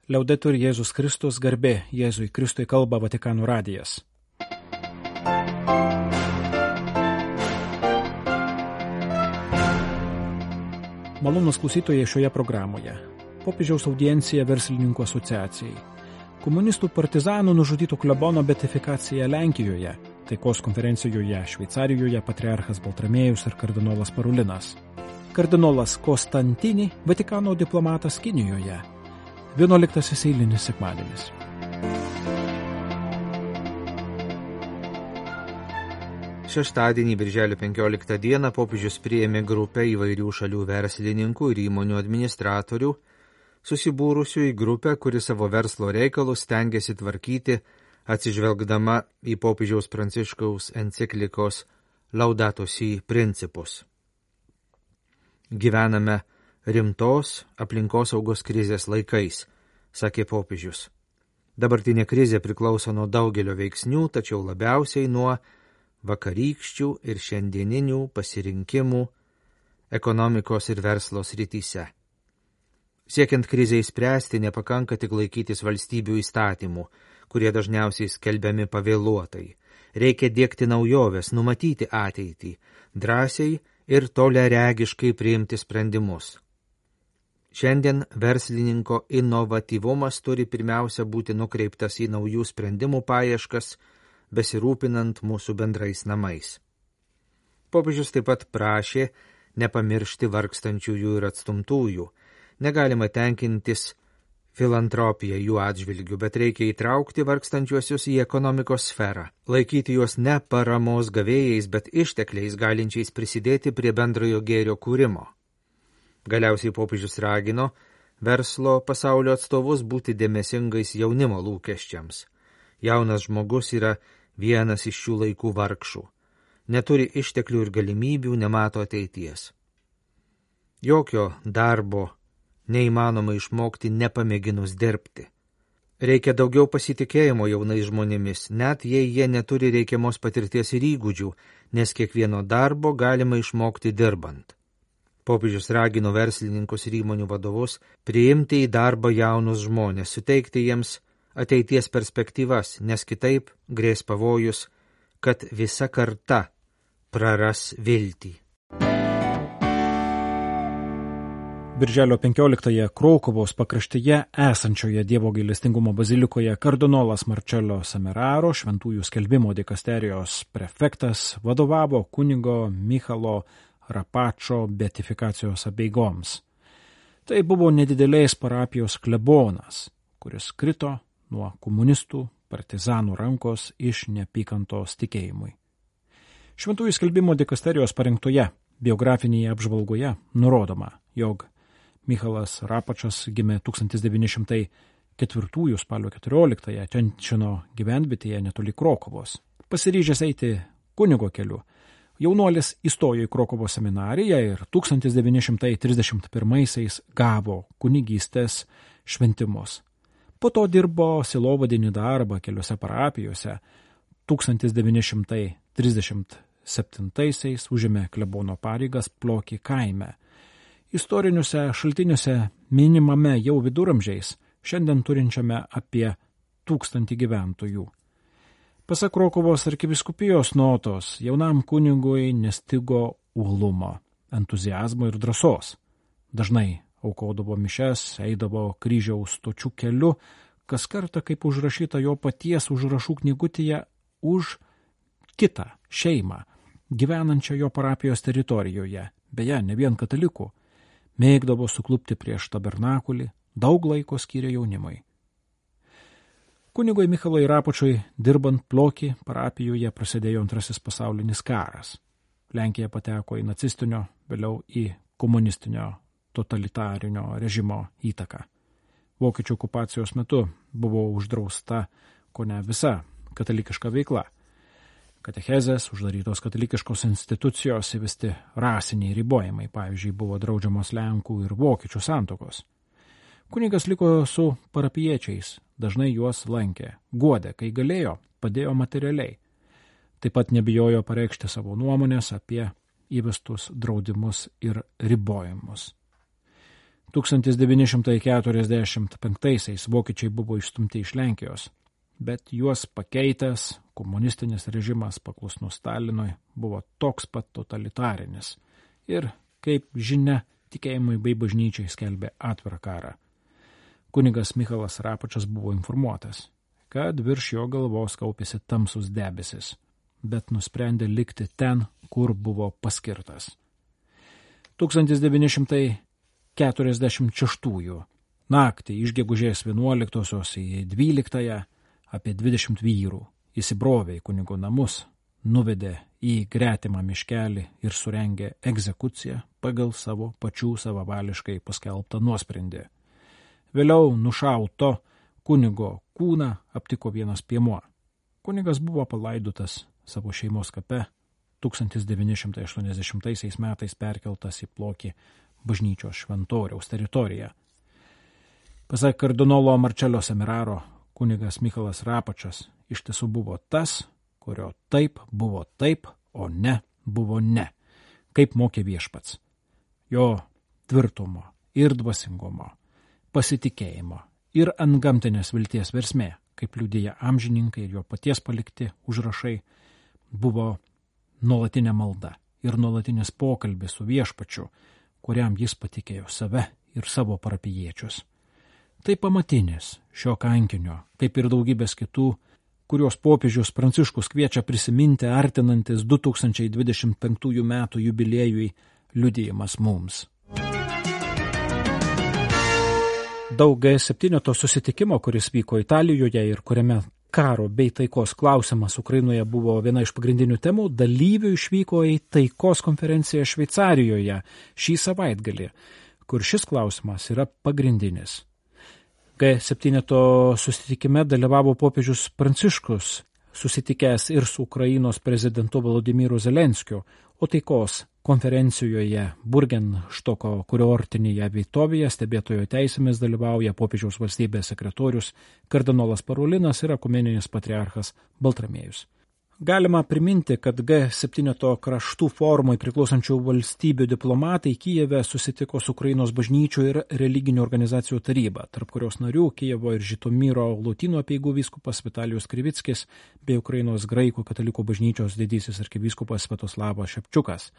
Liaudetur Jėzus Kristus, garbė Jėzui Kristui, kalba Vatikano radijas. Malonūs klausytojai šioje programoje. Popiežiaus audiencija Verslininkų asociacijai. Komunistų partizanų nužudytų klebono beatifikacija Lenkijoje, taikos konferencijoje Šveicarijoje patriarchas Baltramiejus ir kardinolas Parulinas. Kardinolas Konstantini, Vatikano diplomatas Kinijoje. 11 eilinis sekmadienis. Šeštadienį, birželio 15 dieną, popiežius priėmė grupę įvairių šalių verslininkų ir įmonių administratorių, susibūrusių į grupę, kuri savo verslo reikalus stengiasi tvarkyti, atsižvelgdama į popiežiaus Pranciškaus enciklikos Laudato Si principus. Gyvename rimtos aplinkosaugos krizės laikais, sakė popiežius. Dabartinė krizė priklauso nuo daugelio veiksnių, tačiau labiausiai nuo vakarykščių ir šiandieninių pasirinkimų ekonomikos ir verslo srityse. Siekiant krizę įspręsti, nepakanka tik laikytis valstybių įstatymų, kurie dažniausiai skelbiami pavėluotai. Reikia diegti naujoves, numatyti ateitį, drąsiai ir toliaregiškai priimti sprendimus. Šiandien verslininko inovatyvumas turi pirmiausia būti nukreiptas į naujų sprendimų paieškas, besirūpinant mūsų bendrais namais. Popiežius taip pat prašė nepamiršti vargstančiųjų ir atstumtųjų. Negalima tenkintis filantropiją jų atžvilgių, bet reikia įtraukti vargstančiuosius į ekonomikos sferą, laikyti juos ne paramos gavėjais, bet ištekliais galinčiais prisidėti prie bendrojo gėrio kūrimo. Galiausiai popiežius ragino verslo pasaulio atstovus būti dėmesingais jaunimo lūkesčiams. Jaunas žmogus yra vienas iš šių laikų vargšų. Neturi išteklių ir galimybių, nemato ateities. Jokio darbo neįmanoma išmokti nepamėginus dirbti. Reikia daugiau pasitikėjimo jaunais žmonėmis, net jei jie neturi reikiamos patirties ir įgūdžių, nes kiekvieno darbo galima išmokti dirbant. Popiežius ragino verslininkus ir įmonių vadovus priimti į darbą jaunus žmonės, suteikti jiems ateities perspektyvas, nes kitaip grės pavojus, kad visa karta praras viltį. Birželio 15-ąją Kraukuvos pakraštyje esančioje Dievo gailestingumo bazilikoje kardinolas Marcello Semeraro, šventųjų skelbimo dikasterijos prefektas, vadovavo kunigo Michalo Rapačo beatifikacijos apeigoms. Tai buvo nedidelės parapijos klebonas, kuris krito nuo komunistų partizanų rankos iš neapykantos tikėjimui. Šventųjų skelbimo dikasterijos parengtoje biografinėje apžvalgoje nurodoma, jog Michalas Rapačas gimė 1904 spalio 14-ąją Tenčino gyvenvietėje netoli Krokuvos. Pasiryžęs eiti kunigo keliu, jaunuolis įstojo į Krokuvo seminariją ir 1931 gavo kunigystės šventimus. Po to dirbo sielovadinį darbą keliose parapijose. 1937 užėmė klebono pareigas Ploki kaime. Istoriniuose šaltiniuose minimame jau viduramžiais, šiandien turinčiame apie 1000 gyventojų. Pasak Krokuvos arkivyskupijos notos, jaunam kunigui nestigo uolumo, entuziazmo ir drąsos. Dažnai aukodavo mišes, eidavo kryžiaus stočių keliu, kas kartą kaip užrašyta jo paties užrašų knygutėje už kitą šeimą, gyvenančią jo parapijos teritorijoje, beje, ne vien katalikų. Mėgdavo suklupti prieš tabernakulį, daug laiko skyrė jaunimui. Kunigui Michalui Rapačui dirbant Ploki parapijoje prasidėjo Antrasis pasaulinis karas. Lenkija pateko į nacistinio, vėliau į komunistinio totalitarinio režimo įtaką. Vokiečių okupacijos metu buvo uždrausta kone visa katalikiška veikla. Katechezės, uždarytos katalikiškos institucijos, įvesti rasiniai ribojimai, pavyzdžiui, buvo draudžiamos Lenkų ir Vokiečių santuokos. Kunigas liko su parapiečiais, dažnai juos lankė, guodė, kai galėjo, padėjo materialiai. Taip pat nebijojo pareikšti savo nuomonės apie įvestus draudimus ir ribojimus. 1945 vokiečiai buvo išstumti iš Lenkijos, bet juos pakeitęs komunistinis režimas paklusnus Stalinui buvo toks pat totalitarinis ir, kaip žinia, tikėjimui bei bažnyčiai skelbė atvirą karą. Kunigas Michalas Rapočas buvo informuotas, kad virš jo galvos kaupėsi tamsus debesis, bet nusprendė likti ten, kur buvo paskirtas. 1946 naktį iš gegužės 11 į 12 apie 20 vyrų įsibrovė į kunigo namus, nuvedė į gretimą miškelį ir surengė egzekuciją pagal savo pačių savavališkai paskelbtą nuosprendį. Vėliau nušauto kunigo kūną aptiko vienas piemuo. Kunigas buvo palaidotas savo šeimos kape, 1980 metais perkeltas į Plokį bažnyčios šventoriaus teritoriją. Pasak kardinolo Marčelio Semeraro, kunigas Michalas Rapočas iš tiesų buvo tas, kurio taip buvo taip, o ne buvo ne, kaip mokė viešpats. Jo tvirtumo ir dvasingumo, pasitikėjimo ir antgamtinės vilties versmė, kaip liudija amžininkai ir jo paties palikti užrašai, buvo nuolatinė malda ir nuolatinis pokalbis su viešpačiu, kuriam jis patikėjo save ir savo parapijiečius. Tai pamatinis šio kankinio, kaip ir daugybės kitų, kurios popiežius Pranciškus kviečia prisiminti artinantis 2025 metų jubiliejui liudijimas mums. Daug G7 susitikimo, kuris vyko Italijoje ir kuriame karo bei taikos klausimas Ukrainoje buvo viena iš pagrindinių temų, dalyvių išvyko į taikos konferenciją Šveicarijoje šį savaitgalį, kur šis klausimas yra pagrindinis. G7 susitikime dalyvavo popiežius Pranciškus, susitikęs ir su Ukrainos prezidentu Volodymyru Zelenskiu, o taikos konferencijoje Burgenštoko kurortinėje vietovėje stebėtojo teisėmis dalyvauja popiežiaus valstybės sekretorius kardinolas Parolinas ir ekumeninis patriarchas Baltramiejus. Galima priminti, kad G7 kraštų formai priklausančių valstybių diplomatai Kijeve susitiko su Ukrainos bažnyčių ir religinių organizacijų taryba, tarp kurios narių Kijevo ir Žitomyro Lotynų apeigų vyskupas Vitalijus Krivickis bei Ukrainos graikų katalikų bažnyčios didysis arkivyskupas Sviatoslavas Šepčiukas.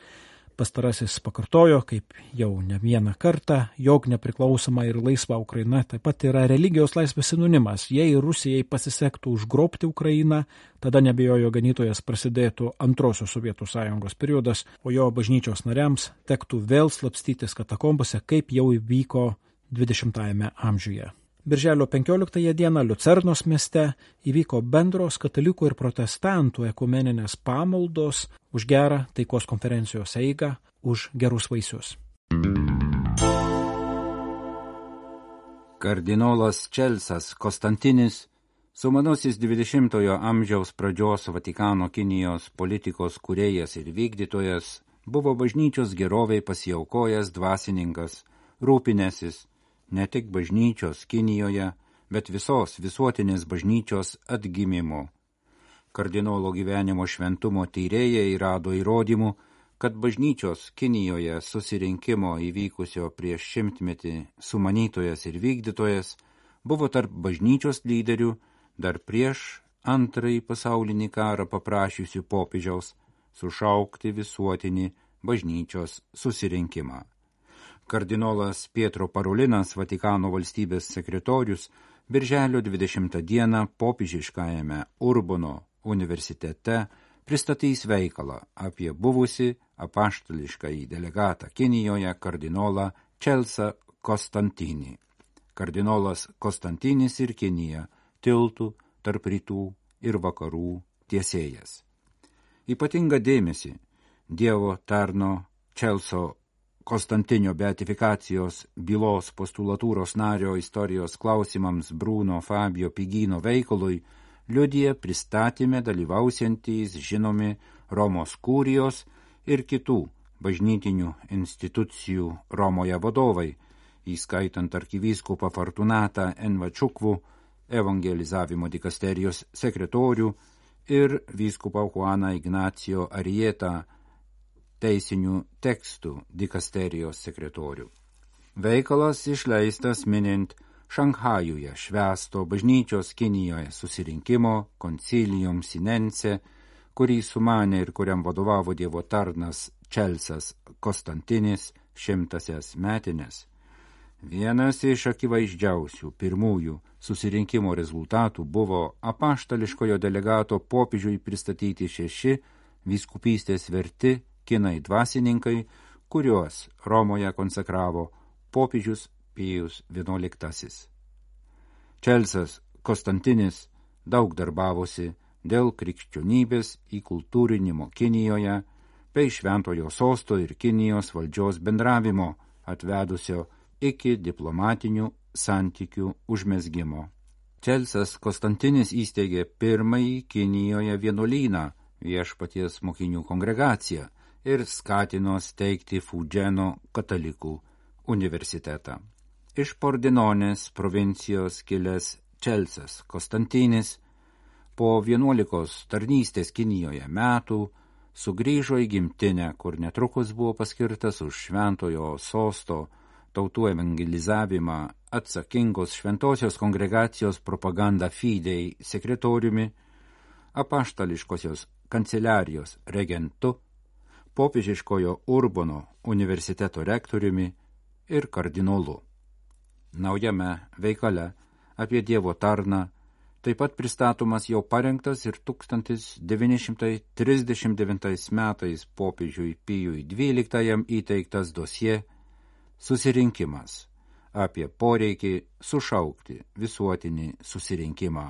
Pastarasis pakartojo, kaip jau ne vieną kartą, jog nepriklausoma ir laisva Ukraina taip pat yra religijos laisvės sinonimas. Jei Rusijai pasisektų užgrobti Ukrainą, tada nebejojo ganytojas prasidėtų antrosios Sovietų sąjungos periodas, o jo bažnyčios nariams tektų vėl slapstytis katakombose, kaip jau įvyko 20-ajame amžiuje. Birželio 15 dieną Liucernos mieste įvyko bendros katalikų ir protestantų ekumeninės pamaldos už gerą taikos konferencijos eigą, už gerus vaisius. Kardinolas Čelsas Konstantinis, sumanusis 20-ojo amžiaus pradžios Vatikano Kinijos politikos kūrėjas ir vykdytojas, buvo bažnyčios geroviai pasiaukojęs dvasininkas, rūpinęsis ne tik bažnyčios Kinijoje, bet visos visuotinės bažnyčios atgimimu. Kardinolo gyvenimo šventumo tyrėjai rado įrodymų, kad bažnyčios Kinijoje susirinkimo įvykusio prieš 100-metį sumanytojas ir vykdytojas buvo tarp bažnyčios lyderių dar prieš Antrąjį pasaulinį karą paprašiusių popiežiaus sušaukti visuotinį bažnyčios susirinkimą. Kardinolas Pietro Parolinas, Vatikano valstybės sekretorius, birželio 20 dieną popiežiškajame Urbono universitete pristatys veikalą apie buvusį apaštališkąjį delegatą Kinijoje kardinolą Čelsą Konstantinį. Kardinolas Konstantinis ir Kinija tiltų tarp rytų ir vakarų tiesėjas. Ypatingą dėmesį Dievo tarno Čelso Konstantinio beatifikacijos bylos postulatūros nario istorijos klausimams Bruno Fabio Pigino veikalui liudija pristatyme dalyvausiantys žinomi Romos kurijos ir kitų bažnytinių institucijų Romoje vadovai, įskaitant arkivyskupą Fortunatą Envačukvų, evangelizavimo dikasterijos sekretorių ir vyskupą Juaną Ignacio Arietą, teisinių tekstų dikasterijos sekretorių. Veikalas išleistas minint Šanchajuje švęsto bažnyčios Kinijoje susirinkimo Concilium Sinense, kurį sumanė ir kuriam vadovavo Dievo tarnas Čelsas Konstantinis 100-asias metines. Vienas iš akivaizdžiausių pirmųjų susirinkimo rezultatų buvo apaštališkojo delegato popiežiui pristatyti 6 vyskupystės verti kinai dvasininkai, kuriuos Romoje konsekravo popiežius Pijus XI. Čelsas Konstantinis daug darbavosi dėl krikščionybės įkultūrinimo Kinijoje bei šventojo sosto ir Kinijos valdžios bendravimo, atvedusio iki diplomatinių santykių užmezgimo. Čelsas Konstantinis įsteigė pirmąjį Kinijoje vienuolyną, Viešpaties mokinių kongregaciją, ir skatino steigti Fudženo katalikų universitetą. Iš Pordinonės provincijos kilęs Čelsas Konstantinis po 11 tarnystės Kinijoje metų sugrįžo į gimtinę, kur netrukus buvo paskirtas už šventojo sosto tautų evangelizavimą atsakingos šventosios kongregacijos Propaganda Fidei sekretoriumi, apaštališkosios kanceliarijos regentu, popiežiškojo Urbono universiteto rektoriumi ir kardinolu. Naujame veikale apie Dievo tarną taip pat pristatomas jau parengtas ir 1939 metais popiežiui Pijui XII įteiktas dosie Susirinkimas apie poreikį sušaukti visuotinį susirinkimą.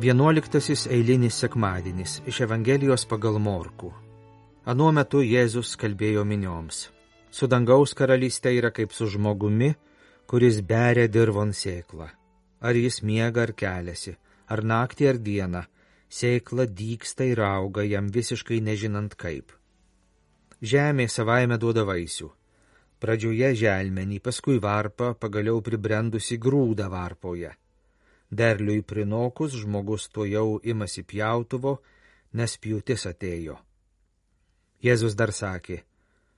Vienuoliktasis eilinis sekmadienis iš Evangelijos pagal Morkų. Anuo metu Jėzus kalbėjo minioms. Su dangaus karalystė yra kaip su žmogumi, kuris beria dirvon sėklą. Ar jis miega ar keliasi, ar naktį ar dieną, sėkla dygsta ir auga jam visiškai nežinant kaip. Žemė savaime duoda vaisių. Pradžioje želmenį, paskui varpą, pagaliau pribrendusi grūdą varpoje. Derliui prinokus žmogus tuojau imasi pjautuvo, nes pjūtis atėjo. Jėzus dar sakė,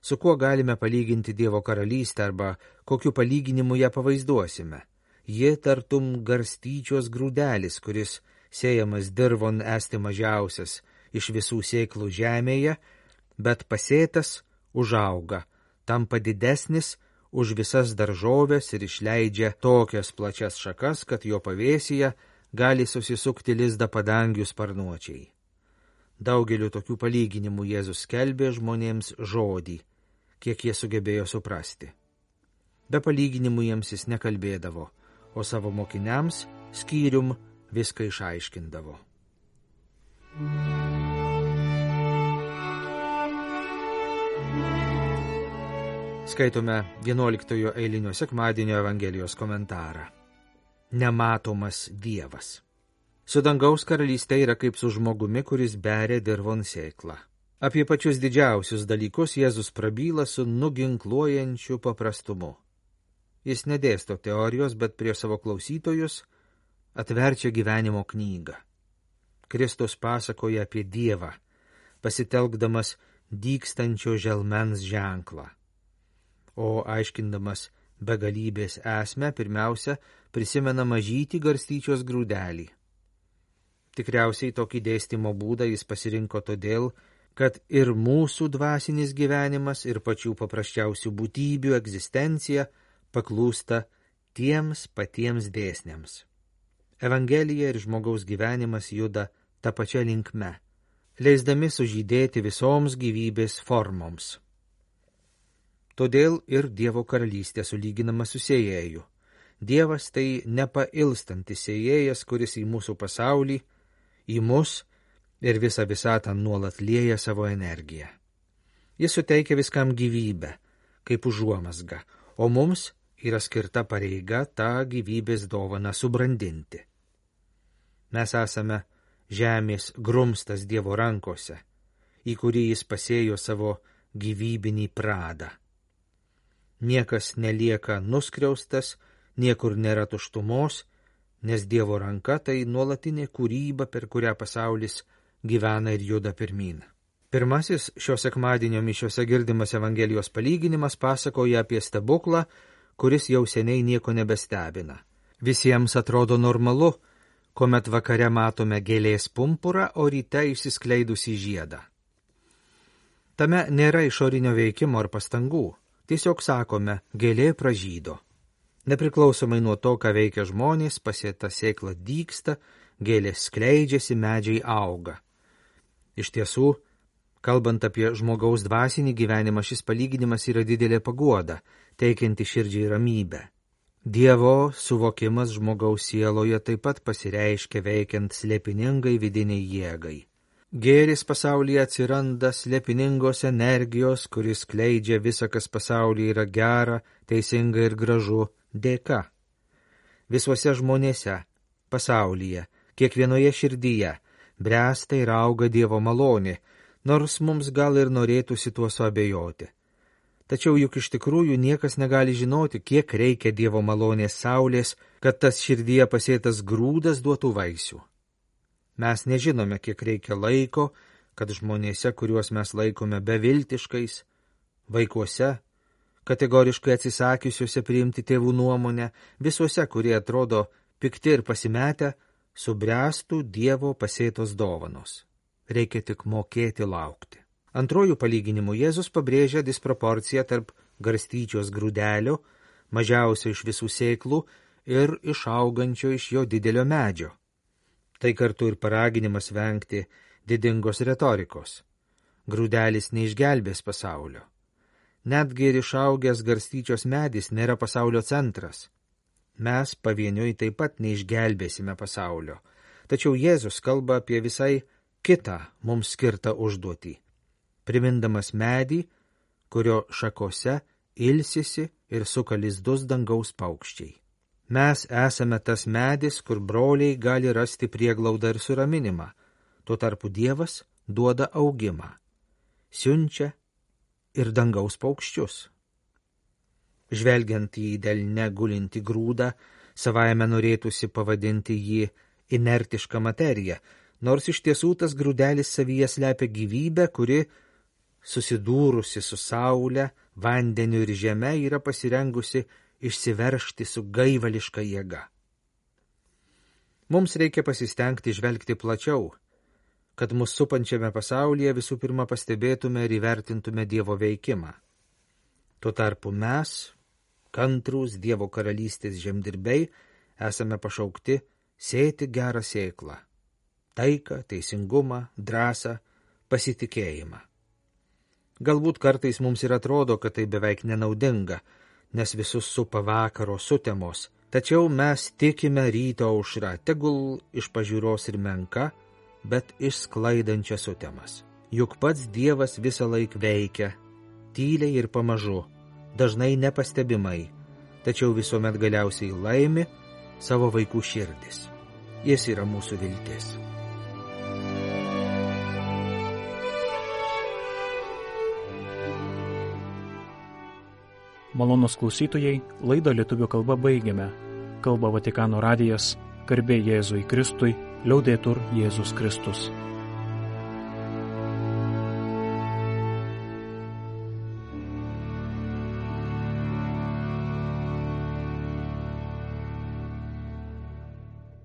su kuo galime palyginti Dievo karalystę arba kokiu palyginimu ją pavaizduosime. Ji tartum garstyčios grūdelis, kuris sėjamas dirvon esti mažiausias iš visų sėklų žemėje, bet pasėtas užauga, tampa didesnis už visas daržoves ir išleidžia tokias plačias šakas, kad jo pavėsyje gali susisukti lizdą padangių sparnuočiai. Daugeliu tokių palyginimų Jėzus skelbė žmonėms žodį, kiek jie sugebėjo suprasti. Be palyginimų jiems jis nekalbėdavo, o savo mokiniams skyrium viską išaiškindavo. Skaitome 11 eilinio sekmadienio Evangelijos komentarą. Nematomas Dievas. Su dangaus karalystė yra kaip su žmogumi, kuris beria dirvon sėklą. Apie pačius didžiausius dalykus Jėzus prabyla su nuginkluojančiu paprastumu. Jis nedėsto teorijos, bet prie savo klausytojus atverčia gyvenimo knygą. Kristus pasakoja apie Dievą, pasitelkdamas dygstančio želmens ženklą. O aiškindamas begalybės esmę, pirmiausia, prisimena mažytį garstyčios grūdelį. Tikriausiai tokį dėstymo būdą jis pasirinko todėl, kad ir mūsų dvasinis gyvenimas ir pačių paprasčiausių būtybių egzistencija paklūsta tiems patiems dėsniams. Evangelija ir žmogaus gyvenimas juda tą pačią linkme, leisdami sužydėti visoms gyvybės formoms. Todėl ir Dievo karalystė sulyginama su sėjėju. Dievas tai nepailstantis sėjėjas, kuris į mūsų pasaulį, į mus ir visą visatą nuolat lieja savo energiją. Jis suteikia viskam gyvybę, kaip užuomazga, o mums yra skirta pareiga tą gyvybės dovaną subrandinti. Mes esame žemės grumstas Dievo rankose, į kurį jis pasėjo savo gyvybinį pradą. Niekas nelieka nuskriaustas, niekur nėra tuštumos, nes Dievo ranka tai nuolatinė kūryba, per kurią pasaulis gyvena ir juda pirmyn. Pirmasis šio sekmadienio mišiose girdimas Evangelijos palyginimas pasakoja apie stebuklą, kuris jau seniai nieko nebestebina. Visiems atrodo normalu, kuomet vakare matome gėlės pumpurą, o ryte išsiskleidusį žiedą. Tame nėra išorinio veikimo ar pastangų, tiesiog sakome, gėlė pražydo. Nepriklausomai nuo to, ką veikia žmonės, pasėta sėkla dygsta, gėlės skleidžiasi, medžiai auga. Iš tiesų, kalbant apie žmogaus dvasinį gyvenimą, šis palyginimas yra didelė paguoda, teikianti širdžiai ramybę. Dievo suvokimas žmogaus sieloje taip pat pasireiškia veikiant slėpiningai vidiniai jėgai. Gėris pasaulyje atsiranda slėpiningos energijos, kuris skleidžia visą, kas pasaulyje yra gera, teisinga ir gražu, dėka. Visuose žmonėse, pasaulyje, kiekvienoje širdyje bręsta ir auga Dievo malonė, nors mums gal ir norėtųsi tuo suabejoti. Tačiau juk iš tikrųjų niekas negali žinoti, kiek reikia Dievo malonės saulės, kad tas širdyje pasėtas grūdas duotų vaisių. Mes nežinome, kiek reikia laiko, kad žmonėse, kuriuos mes laikome beviltiškais, vaikuose, kategoriškai atsisakiusiuose priimti tėvų nuomonę, visuose, kurie atrodo pikti ir pasimetę, subręstų Dievo pasėtos dovanos. Reikia tik mokėti laukti. Antrojų palyginimų Jėzus pabrėžia disproporciją tarp garstyčios grūdelio, mažiausio iš visų sėklų, ir išaugančio iš jo didelio medžio. Tai kartu ir paraginimas vengti didingos retorikos. Grūdelis neišgelbės pasaulio. Netgi ir išaugęs garstyčios medis nėra pasaulio centras. Mes pavieniui taip pat neišgelbėsime pasaulio. Tačiau Jėzus kalba apie visai kitą mums skirtą užduotį, primindamas medį, kurio šakose ilsisi ir suka lizdus dangaus paukščiai. Mes esame tas medis, kur broliai gali rasti prieglaudą ir suraminimą, tuo tarpu Dievas duoda augimą, siunčia ir dangaus paukščius. Žvelgiant į delne gulintį grūdą, savaime norėtųsi pavadinti jį inertišką materiją, nors iš tiesų tas grūdelis savyje slepia gyvybę, kuri, susidūrusi su saule, vandeniu ir žeme, yra pasirengusi išsiveržti su gaivališka jėga. Mums reikia pasistengti žvelgti plačiau, kad mus supančiame pasaulyje visų pirma pastebėtume ir įvertintume Dievo veikimą. Tuo tarpu mes, kantrūs Dievo karalystės žemdirbiai, esame pašaukti sėti gerą sėklą, taiką, teisingumą, drąsą, pasitikėjimą. Galbūt kartais mums ir atrodo, kad tai beveik nenaudinga, nes visus supa vakaro sutemos, tačiau mes tikime ryto aušra, tegul iš pažiūros ir menka, bet išsklaidančia sutemas. Juk pats Dievas visą laik veikia, tyliai ir pamažu, dažnai nepastebimai, tačiau visuomet galiausiai laimi savo vaikų širdis. Jis yra mūsų viltis. Malonūs klausytojai, laidą lietuvių kalba baigiame. Kalba Vatikano radijas, garbė Jėzui Kristui, liaudetur Jėzus Kristus.